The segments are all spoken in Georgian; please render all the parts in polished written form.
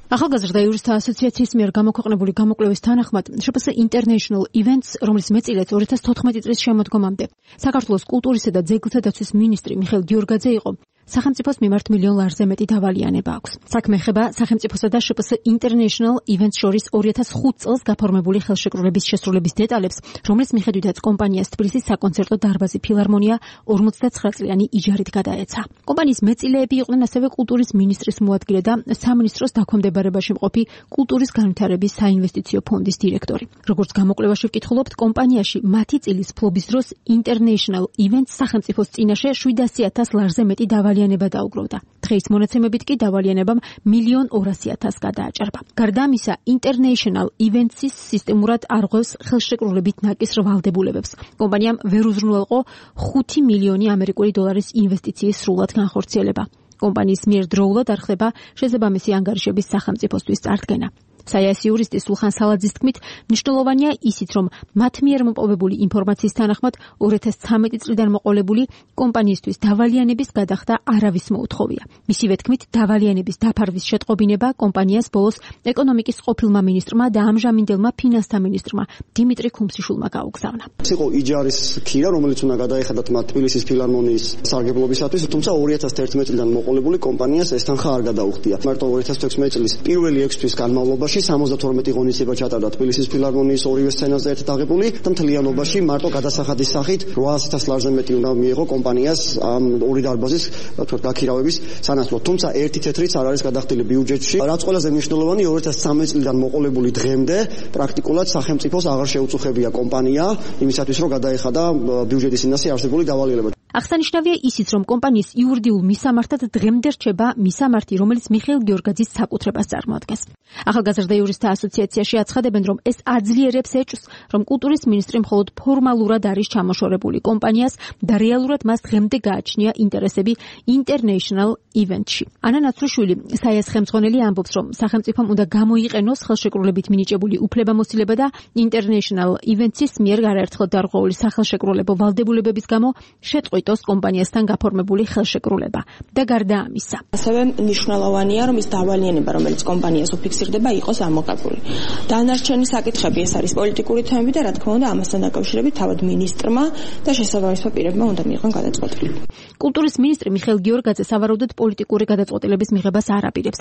ახალგაზრდა იურისტთა ასოციაციის მიერ გამოქვეყნებული გამოკვლევის თანახმად, შპს International Events, რომლის მეწილეც 2014 წლის შემოდგომამდე საქართველოს კულტურისა და ძეგლთა დაცვის მინისტრი მიხეილ გიორგაძე იყო, სახელმწიფოს მიმართ $1,000,000 ლარზე მეტი დავალიანება აქვს. საქმე ეხება სახელმწიფოსა და შპს International Events შორის 2005 წელს გაფორმებული ხელშეკრულების შესრულების დეტალებს, რომლის მიხედვითაც კომპანიას თბილისის საკონცერტო დარბაზი ფილარმონია 59 წლიანი იჯარით გადაეცა. კომპანიის მეწილეები იყვნენ ასევე კულტურის მინისტრის მოადგილე და სამინისტროს დაქვემდებარებაში მყოფი კულტურის განვითარების საინვესტიციო ფონდის დირექტორი. როგორც გამოკვლევაში ვკითხულობთ, კომპანიაში მათი წილის ფლობის დროს International Events სახელმწიფოს წინაშე $700,000 ლარზე მეტი დავალიანება დაუგროვდა. დღეის მონაცემებით კი დავალიანებამ $1,200,000 გადააჭარბა. გარდა ამისა, International Events-ის სისტემურად არღვევს ხელშეკრულებით ნაკისრ ვალდებულებებს. კომპანიამ ვერ უზრუნველყო $5,000,000 ინვესტიციის სრულად განხორციელება. კომპანიის მიერ დროულად არ ხდება შესაბამისი ანგარიშების სახელმწიფოსთვის წარდგენა. საიას იურისტი სულხან სალაძის თქმით, მნიშვნელოვანია ისიც, რომ მათ მიერ მოპოვებული ინფორმაციის თანახმად 2013 წლიდან მოყოლებული კომპანიისთვის დავალიანების გადახდა არავის მოუთხოვია. მისივე თქმით, დავალიანების დაფარვის შეტყობინება კომპანიას ბოლოს ეკონომიკის ყოფილმა მინისტრმა და ამჟამინდელმა ფინანსთა მინისტრმა დიმიტრი ქუმსიშვილმა გაუგზავნა. იყო იჯარის ქირა, რომელიც უნდა გადაეხადათ მათ თბილისის ფილარმონიის სარგებლობისათვის, თუმცა 2011 წლიდან მოყოლებული კომპანიას ეს თანხა არ გადაუხდია. მარტო 2016 წლის პირველი 6 თვის განმავლობაში 72 ღონისძიება ჩატარდა თბილისის ფილარმონიის ორივე სცენაზე ერთად აღებული და მთლიანობაში მარტო გადასახადის სახით $800,000 ლარზე მეტი უნდა მიიღო კომპანიას ამ ორი დარბაზის გაქირავების სანაცვლოდ. თუმცა ერთი თეთრიც არ არის გადახდილი ბიუჯეტში. რაც ყველაზე მნიშვნელოვანი, 2013 წლიდან მოყოლებული დღემდე პრაქტიკულად სახელმწიფოს აღარ შეუწუხებია კომპანია იმისათვის, რომ გადაეხადა ბიუჯეტის წინაშე არსებული დავალიერება. აღსანიშნავია ისიც, რომ კომპანიის იურიდიულ მისამართად დღემდე რჩება მისამართი, რომელიც მიხეილ გიორგაძის საკუთრებას წარმოადგენს. ახალგაზრდა იურისტთა ასოციაციაში აცხადებენ, რომ ეს აძლიერებს ეჭვს, რომ კულტურის მინისტრი მხოლოდ ფორმალურად არის ჩამოშორებული კომპანიას და რეალურად მას დღემდე გააჩნია ინტერესები International Events-ში. ანა ნაცრუშვილი, საიას ხელმძღვანელი ამბობს, რომ სახელმწიფომ უნდა გამოიყენოს ხელშეკრულებით მინიჭებული უფლებამოსილება და International Events-ის მიერ არაერთხელ დარღვეული სახელშეკრულებო ვალდებულებების გამო შეწყვიტოს კომპანიასთან გაფორმებული ხელშეკრულება. და გარდა ამისა, ასევე მნიშვნელოვანია, რომ ის დავალიანება, რომელიც კომპანიას უფიქსირდება, იყოს ამოღებული. დანარჩენი საკითხები ეს არის პოლიტიკური თემები და რა თქმა უნდა, ამასთან დაკავშირებით თავად მინისტრმა და შესაბამისმა პირებმა უნდა მიიღონ გადაწყვეტილება. კულტურის მინისტრი მიხეილ გიორგაძე სავარაუდოდ პოლიტიკური გადაწყვეტილების მიღებას არ აპირებს.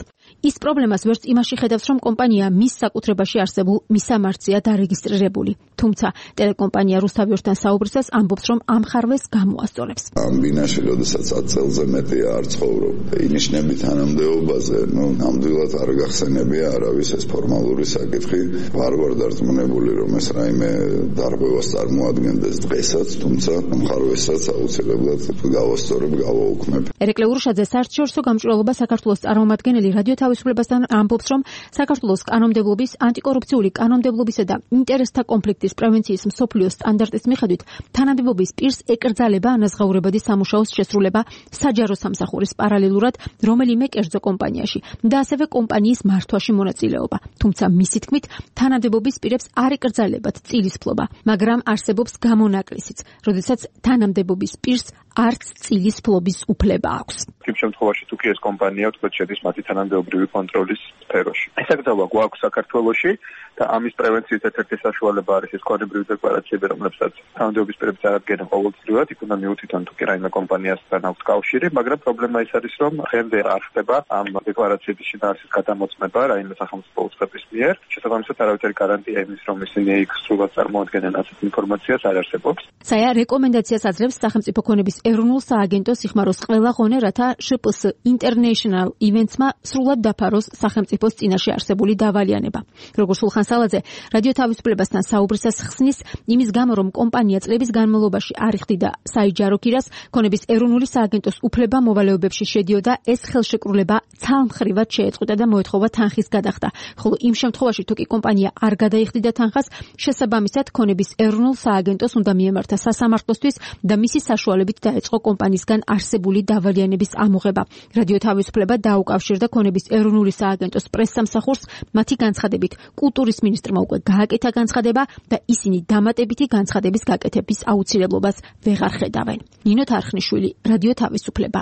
ის პრობლემას ვერც იმაში ხედავს, რომ კომპანია მის საკუთრებაში არსებულ მისამართზეა დარეგისტრირებული. თუმცა ტელეკომპანია რუსთავიორთან საუბრისას ამბობს, რომ ამხარვეს გამოასწორებს. ამ ბინაში, როდესაც 10 წელზე მეტი არ ცხოვრობ, ინიშნები თანამდებობაზე, ნამდვილად არ გახსენებია არავის ეს ფორმალური საკითხი. ვარ დარწმუნებული, რომ ეს რაიმე დარღვევას წარმოადგენდეს დღესაც, თუმცა მხარვესაც აუცილებლად გავასწორებ, გავაუქმებ. ერეკლე ურუშაძე საერთაშორისო გამჭვირვალობა საქართველოს წარმომადგენელი რადიო თავისუფლებასთან ამბობს, რომ საქართველოს კანონმდებლობის, ანტიკორუფციული კანონმდებლობისა და ინტერესთა კონფლიქტის პრევენციის მსოფლიო სტანდარტის მიხედვით თანამდებობის პირს ეკრძალება ანაზღაურებადი სამუშაოს შესრულება საჯარო სამსახურის პარალელურად რომელიმე კერძო კომპანიაში და ასევე კომპანიის მართვაში მონაწილეობა. თუმცა მისი თქმით, თანამდებობის პირებს არ ეკრძალებათ წილის ფლობა, მაგრამ არსებობს გამონაკლისიც, როდესაც თანამდებობის პირს არც წილის ფლობის უფლება აქვს. იმ შემთხვევაში თუ კი ეს კომპანია თქო შედის მათი თანამდებობრივი კონტროლის სფეროში. ესაკრძალვა გვაქვს საქართველოში და ამის პრევენციის ერთ-ერთი საშუალება არის ეს კოდებრივი დეკლარაციები, რომლებსაც თანამდებობის პირები წარადგენენ ყოველწლიურად, იქ უნდა მიუთითონ თუ კი რაიმე კომპანიასთან აქვს კავშირი, მაგრამ პრობლემა ის არის, რომ დღემდე არ ხდება ამ დეკლარაციების შინაარსის გადამოწმება რაიმე სახელმწიფო უწყების მიერ. შესაბამისად, არავითარი გარანტია იმის, რომ ისინი იქ სრულად წარმოადგენენ ასეთ ინფორმაციას არ არსებობს. საია რეკომენდაციას აძლევს სახელმწიფო ქონების ეროვნულ სააგენტოს იხმაროს ყველა ღონე, რათა შპს International Events-მა სრულად დაფაროს სახელმწიფოს წინაშე არსებული დავალიანება. როგორც სულხან სალაძე რადიო თავისუფლებასთან საუბრისას ხსნის, იმის გამო, რომ კომპანია წლების განმავლობაში არ იხდიდა საიჯარო ქირას, ქონების ეროვნული სააგენტოს უფლება მოვალეობებში შედიოდა, ეს ხელშეკრულება ცალმხრივად შეეწყვეტა და მოეთხოვა თანხის გადახდა. ხოლო იმ შემთხვევაში, თუ კი კომპანია არ გადაიხდიდა თანხას, შესაბამისად ქონების ეროვნულ სააგენტოს უნდა მიემართა სასამართლოსთვის და მისი საშუალებით დაეწყო კომპანიისგან არსებული დავალიანების ამოღება. რადიო თავისუფლება დაუკავშირდა ქონების ეროვნული სააგენტოს პრესსამსახურს, მათი განცხადებით, კულტურის მინისტრმა უკვე გააკეთა განცხადება და ისინი დამატებითი განცხადების გაკეთების აუცილებლობას ვეღარ ხედავენ. ნინო თარხნიშვილი, რადიო თავისუფლება.